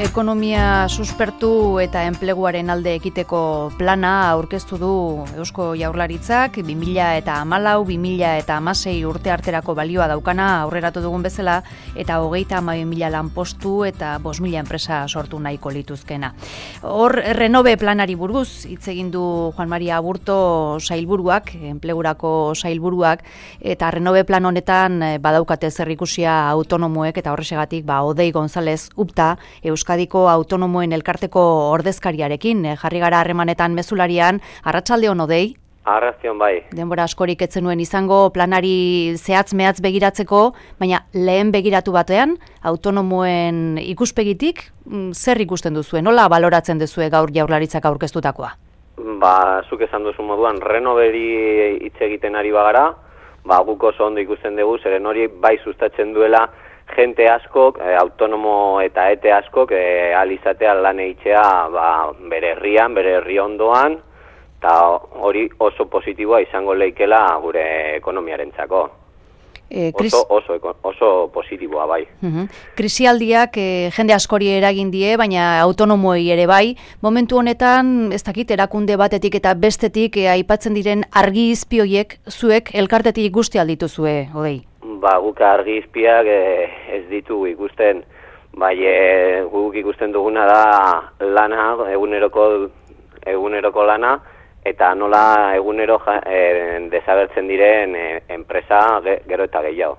Ekonomia suspertu eta enpleguaren alde ekiteko plana aurkeztu du Eusko Jaurlaritzak 2014-2016 urte arterako balioa daukana aurreratu dugun bezala eta 32.000 lanpostu eta 5.000 enpresa sortu nahiko lituzkena. Hor Renove planari buruz hitz egin du Juan Maria Aburto sailburuak, enplegurako sailburuak, eta Renove plan honetan badaukate zerikusia autonomoek eta horrexegatik Odei González Upta Euskadiko autonomoen elkarteko ordezkariarekin jarri gara harremanetan mezularian. Arratsalde on, Odei? Arratsalde on, bai. Denbora askorik ez zenuen izango planari zehatz-mehatz begiratzeko, baina lehen begiratu batean autonomoen ikuspegitik zer ikusten duzue? Nola baloratzen duzue gaur Jaurlaritzak aurkeztutakoa? Zuk esan duzu moduan Renoveri hitz egiten ari bagara, guk oso ondo ikusten dugu, zeren hori bai sustatzen duela jente askok, autonomo eta ete askok, alizatea lan eitzea bere herrian, bere herri ondoan, eta hori oso positiboa izango leikela gure ekonomiarentzako. Oso positiboa, bai. Krisialdiak jende askori eragin die, baina autonomoei ere bai. Momentu honetan, ez dakit, erakunde batetik eta bestetik aipatzen diren argi izpi horiek zuek elkartetik guzti aldituzue, Odei? Guk argi izpiak ez ditugu ikusten, bai guk ikusten duguna da lana, eguneroko lana, eta nola egunero desagertzen diren enpresa gero eta gehiago.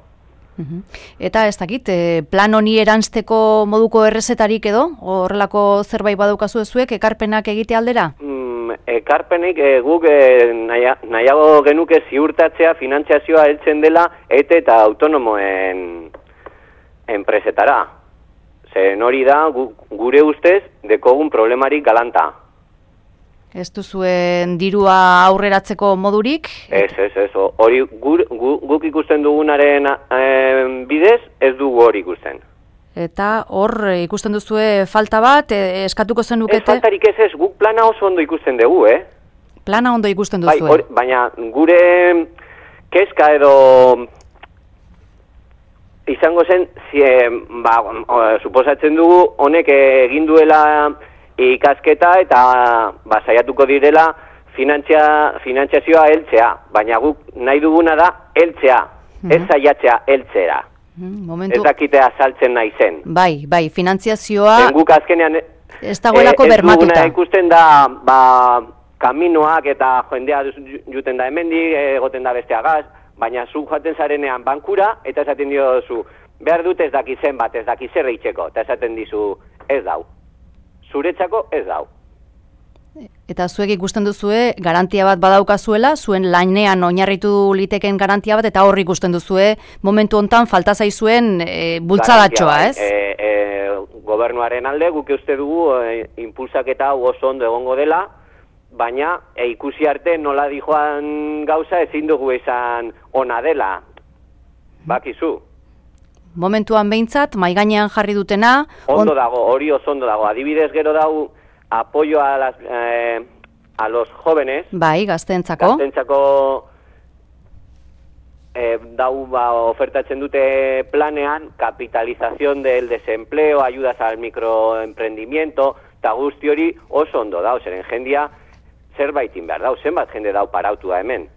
Eta ez dakit, plan honi eranzteko moduko errezetarik edo? Horrelako zerbait badaukazu zuek, ekarpenak egite aldera? Ekarpenik guk nahiago genuke ziurtatzea finantziazioa heltzen dela eta autonomoen enpresetara. Zen hori da gure ustez dekogun problemarik galanta. Ez duzuen dirua aurreratzeko modurik? Ez. Hori guk ikusten dugunaren bidez ez dugu hori ikusten. Eta hor ikusten duzue falta bat, eskatuko zenukete? Ez faltarik ez, guk plana oso ondo ikusten dugu, Plana ondo ikusten duzue? Bai, baina gure kezka edo izango zen, suposatzen dugu honek egin duela ikasketa eta saiatuko direla finantziazioa heltzea, baina guk nahi duguna da heltzea, ez saiatzea heltzera. Ez dakitea saltzen nahi zen. Bai, finantziazioa guk azkenean ez dagoelako bermatuta. Ez duguna ikusten da kaminoak eta jendea juten da hemendik, egoten da besteagaz, baina zu joaten zarenean bankura eta esaten diozu, behar dut ez daki zenbat, ez daki zer eitzeko, eta esaten dizu ez dau. Zuretzako ez dau. Eta zuek ikusten duzue garantia bat badaukazuela, zuen lanean oinarritu liteken garantia bat, eta horri ikusten duzue momentu hontan falta zaizuen bultzadatxoa, ez? Gobernuaren alde guk uste dugu impulsaketa hau oso ondo egongo dela, baina ikusi arte nola dijoan gauza ezin dugu izan ona dela. Bakizu. Momentuan behintzat, maigainean jarri dutena... Ondo dago, hori oso ondo dago. Adibidez gero dau apoyo a los jóvenes. Bai, gazteentzako. Gazteentzako ofertatzen dute planean capitalización del desempleo, ayudas al microemprendimiento, eta guzti hori oso ondo dau, zeren jendia zerbaitin behar dau, zenbat jende dau parautua hemen.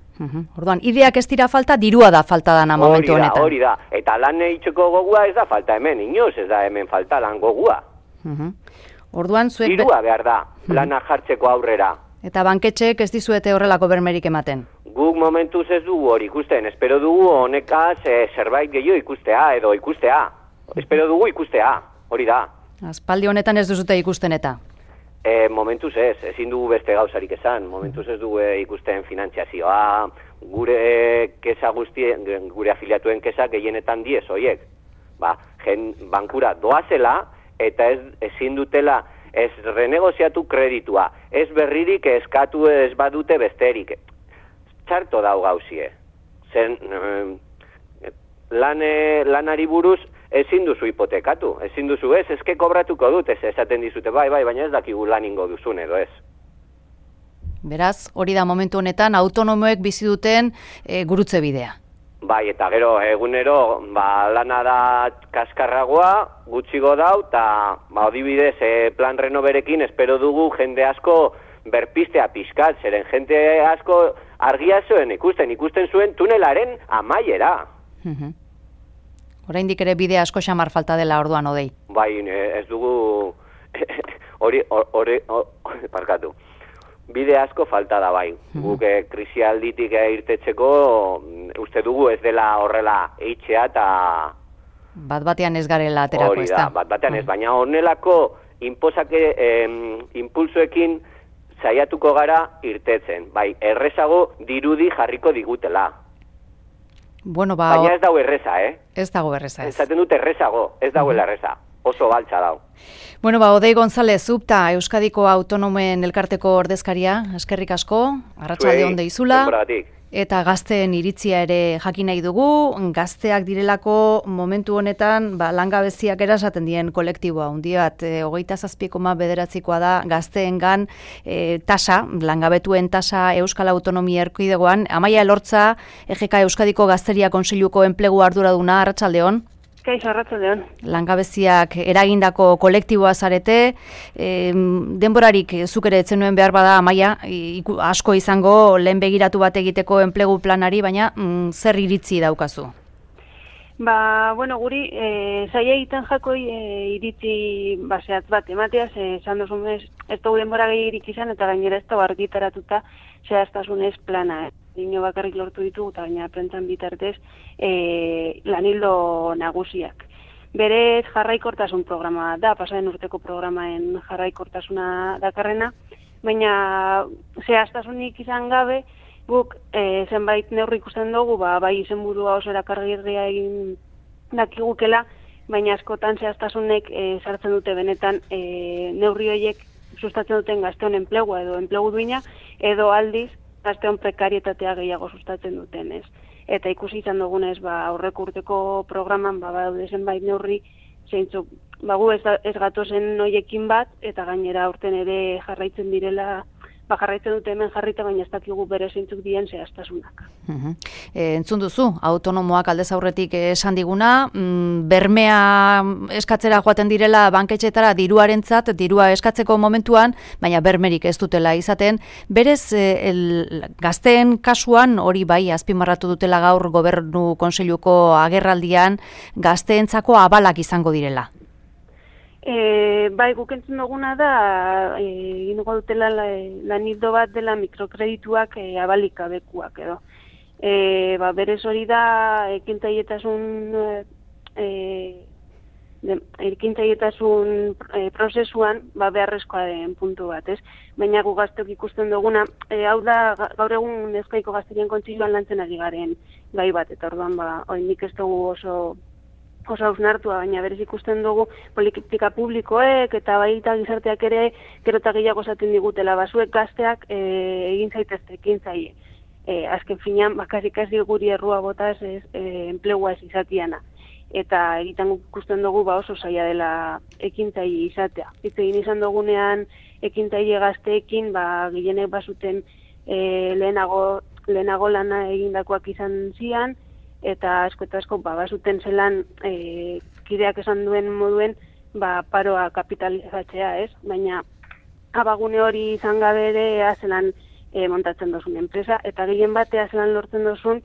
Orduan, ideak ez dira falta, dirua da falta dana momentu honetan. Hori da, eta lan eitzeko gogua ez da falta hemen, inoz ez da hemen falta lan gogua. Orduan, zuek... Dirua behar da, lana jartzeko aurrera. Eta banketxeek ez dizuete horrelako bermerik ematen? Guk momentuz ez dugu hori ikusten, espero dugu honekaz zerbait gehiago ikustea. Espero dugu ikustea, hori da. Aspaldi honetan ez duzute ikusten eta? Momentuz ezin dugu beste gauzarik esan. Momentuz ez dugu ikusten finantziazioa, gure kesa guztien, gure afiliatuen kesa gehienetan diez horiek. Bankura doazela eta ezin dutela ez renegoziatu kreditua, ez berririk eskatu ez badute besterik. Txarto dau gauzie. Zen lanari buruz ezin duzu hipotekatu, ezin duzu ezke kobratuko dut, esaten dizute bai, baina ez dakigu laningo duzun edo ez. Beraz, hori da momentu honetan autonomoek bizi duten gurutze bidea. Bai, eta gero egunero lana da kaskarragoa, gutxigo dau, eta adibidez plan renoverekin espero dugu jende asko berpistea pixkat, zeren jende asko argia zuen ikusten zuen tunelaren amaiera. Oraindik ere bide asko xamar falta dela orduan odei. Bai, ez dugu parkatu. Bide asko falta da bai. Guk krisialditik irtetzeko uste dugu ez dela horrela eitxea eta... Bat-batean ez garela aterako, ez da? Hori da, bat-batean ez, baina honelako impulsoekin saiatuko gara irtetzen. Bai, errezago dirudi jarriko digutela. Bueno, baina ez dago erreza, Ez dago erreza, ez. Esaten dut errezago, ez dagoela erreza. Oso baltza dau. Bueno, Odei González, Zubta, Euskadiko Autonomen Elkarteko ordezkaria, eskerrik asko, arratsalde on deizula. Eta gazteen iritzia ere jakin nahi dugu, gazteak direlako momentu honetan langabeziak erasaten dien kolektiboa. Hundi bat, 27,9% da gazteengan tasa, langabetuen tasa Euskal Autonomia Erkidegoan. Amaia Elortza, EGK Euskadiko Gazteria Kontseiluko enplegu arduraduna, arratsaldeon. Kaixo, arratsaldeon. Langabeziak eragindako kolektiboa zarete, denborarik zuk ere etzen nuen behar bada, Amaia, asko izango lehen begiratu bat egiteko enplegu planari, baina zer iritzi daukazu? Bueno, guri, zaila egiten jako iritzi zehatz bat emateaz, esan duzunez, ez dugu denbora gehiagirik izan, eta gainera ez dugu argitaratuta zehaztasunez plana. Dino bakarrik lortu ditugu, eta baina prentan bitartez lanildo nagusiak. Berez jarraikortasun programa da, pasaren urteko programaen jarraikortasuna dakarrena, baina zehaztasunik izan gabe, guk zenbait neurri ikusten dugu, bai izenburua oso erakargarria egin dakigukela, baina askotan zehaztasunek sartzen dute benetan neurri horiek sustatzen duten gazteon enplegua edo enplegu duina, edo aldiz gazteon prekarietatea gehiago sustatzen duten, ez. Eta ikusi izan dugunez, aurreko urteko programan badaude zenbait neurri, zeintzuk, gu ez gatozen hoiekin bat, eta gainera aurten ere jarraitzen direla, jarraitzen dute hemen jarrita, baina ez dakigu bere zeintzuk dien zehaztasunak. Entzun duzu, autonomoak aldez aurretik esan diguna, bermea eskatzera joaten direla banketxetara diruarentzat, dirua eskatzeko momentuan, baina bermerik ez dutela izaten. Berez, gazteen kasuan, hori bai, azpimarratu dutela gaur Gobernu Kontseiluko agerraldian, gazteentzako abalak izango direla. Bai, guk entzun duguna da, egingo dutela lanildo bat dela mikrokredituak abalik abekuak edo. Berez hori da, ekintzailetasun prozesuan beharrezkoa den puntu bat, ez? Baina gu gazteok ikusten duguna, hau da, gaur egun Euskadiko Gazterien Kontseiluan lantzen ari garen gai bat, eta orduan, nik ez dugu oso hausnartua, baina berez ikusten dugu politika publikoek eta baita gizarteak ere gero eta gehiago esaten digutela, zuek gazteak egin zaitezte ekintzaile. Azken finean, bakarrik ez guri errua botaz enplegua ez izatiana. Eta egiten ikusten dugu oso zaila dela ekintzaile izatea. Egin izan dugunean ekintzaile gazteekin, gehienek bazuten lehenago lana egindakoak izan zian, eta asko eta asko bazuten zelan kideak esan duen moduen paroa kapitalizatzea, ez? Baina abagune hori izan gabe ere zelan montatzen dozun enpresa, eta gehien batea zelan lortzen dozun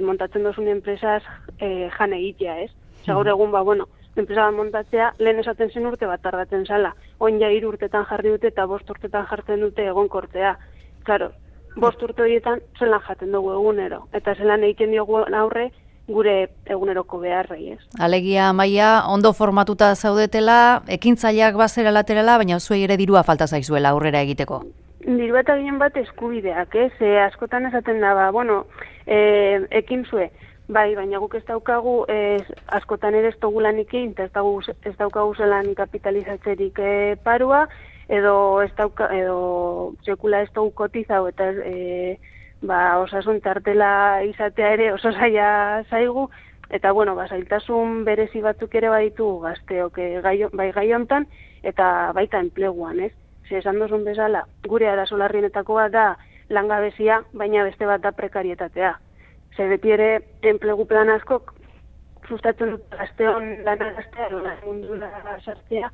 montatzen dozun enpresaz jan egitea, ez? Gaur egun, enpresa bat montatzea, lehen esaten zen urte bat tardatzen zala, oin ja 3 urtetan jarri dute eta 5 urtetan jartzen dute egonkortzea. Claro, 5 urte horietan zelan jaten dugu egunero, eta zelan egiten diogu aurre gure eguneroko beharrei, ez. Alegia, Amaia, ondo formatuta zaudetela, ekintzaileak bazera laterala, baina zuei ere dirua falta zaizuela aurrera egiteko. Diru eta ginen bat eskubideak, ez? Askotan esaten da, ekin zue, bai, baina guk ez daukagu, askotan ere ez dugu lanik egin, ez daukagu zelan kapitalizatzerik parua, edo sekula ez dugu kotizau, eta osasun tartela izatea ere oso zaila zaigu, eta zailtasun berezi batzuk ere baditu gazteok bai gai hontan, eta baita enpleguan, ez? Esan duzun bezala, gure arazo larrienetako bat da langabezia, baina beste bat da prekarietatea. Ze beti ere enplegu plan askok sustatzen dut gazteon lanagaztea, mundura sartzea,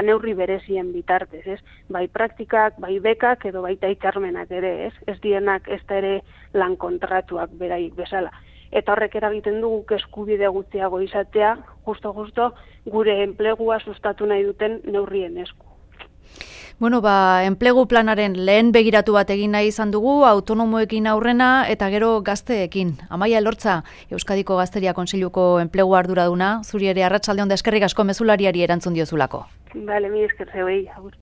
neurri berezien bitartez, ez? Bai praktikak, bai bekak edo baita hitzarmenak ere, ez? Ez dienak ez da ere lan kontratuak beraik bezala. Eta horrek eragiten du guk eskubide gutxiago izatea, justo gure enplegua sustatu nahi duten neurrien esku. Bueno, enplegu planaren lehen begiratu bat egin nahi izan dugu, autonomoekin aurrena eta gero gazteekin. Amaia Elortza, Euskadiko Gazteria Kontseiluko enplegu arduraduna, zuri ere arratsalde on da eskerrik asko mezulariari erantzun diozulako. Bale, mi esker zeuei, agur.